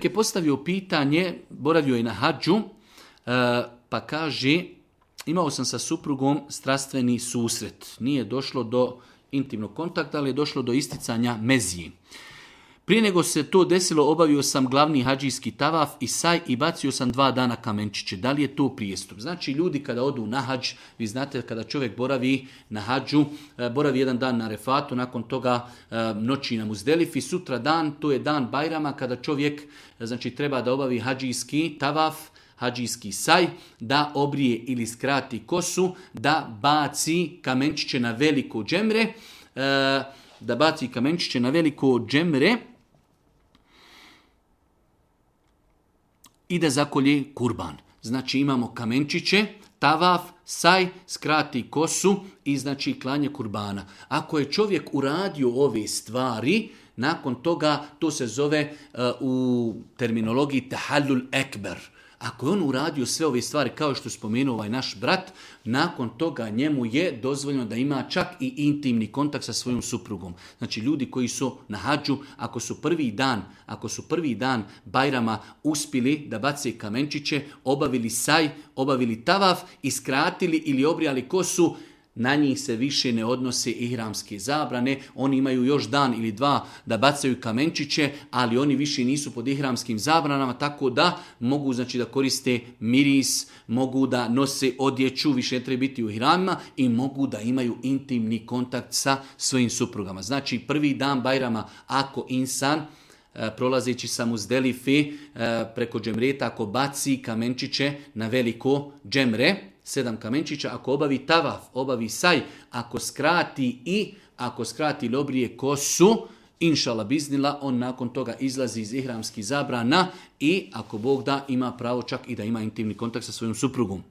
čovjek je postavio pitanje, boravio je na hadžu, pa kaže, imao sam sa suprugom strastveni susret. Nije došlo do intimnog kontakta, ali je došlo do isticanja mezije. Prije nego se to desilo, obavio sam glavni hađijski tavaf i saj i bacio sam 2 dana kamenčiće. Da li je to prijestup? Znači, ljudi kada odu na hađ, vi znate kada čovjek boravi na hađu, boravi 1 dan na Arefatu, nakon toga noći na Muzdelifi, sutra dan, to je dan Bajrama, kada čovjek znači, treba da obavi hađijski tavaf, hađijski saj, da obrije ili skrati kosu, da baci kamenčiće na veliko džemre, i da zakolje kurban. Znači imamo kamenčiće, tavaf, saj, skrati kosu i znači klanje kurbana. Ako je čovjek uradio ove stvari, nakon toga to se zove u terminologiji tahallul ekber. Ako je on uradio sve ove stvari kao što spomenuo ovaj naš brat, nakon toga njemu je dozvoljeno da ima čak i intimni kontakt sa svojom suprugom. Znači ljudi koji su na hadžu, ako su prvi dan Bajrama uspjeli da bace kamenčiće, obavili saj, obavili tavaf i skratili ili obrijali kosu, na njih se više ne odnose ihramske zabrane, oni imaju još dan ili 2 da bacaju kamenčiće, ali oni više nisu pod ihramskim zabranama, tako da mogu znači da koriste miris, mogu da nose odjeću, više ne treba biti u ihramima i mogu da imaju intimni kontakt sa svojim suprugama. Znači prvi dan Bajrama, ako insan prolazeći sa Muzdelife preko džemreta, ako baci kamenčiće na veliko džemre, 7 kamenčića, ako obavi tavaf, obavi saj, ako skrati ili obrije kosu, inšala biznila, on nakon toga izlazi iz ihramskih zabrana i ako Bog da ima pravo čak i da ima intimni kontakt sa svojom suprugom.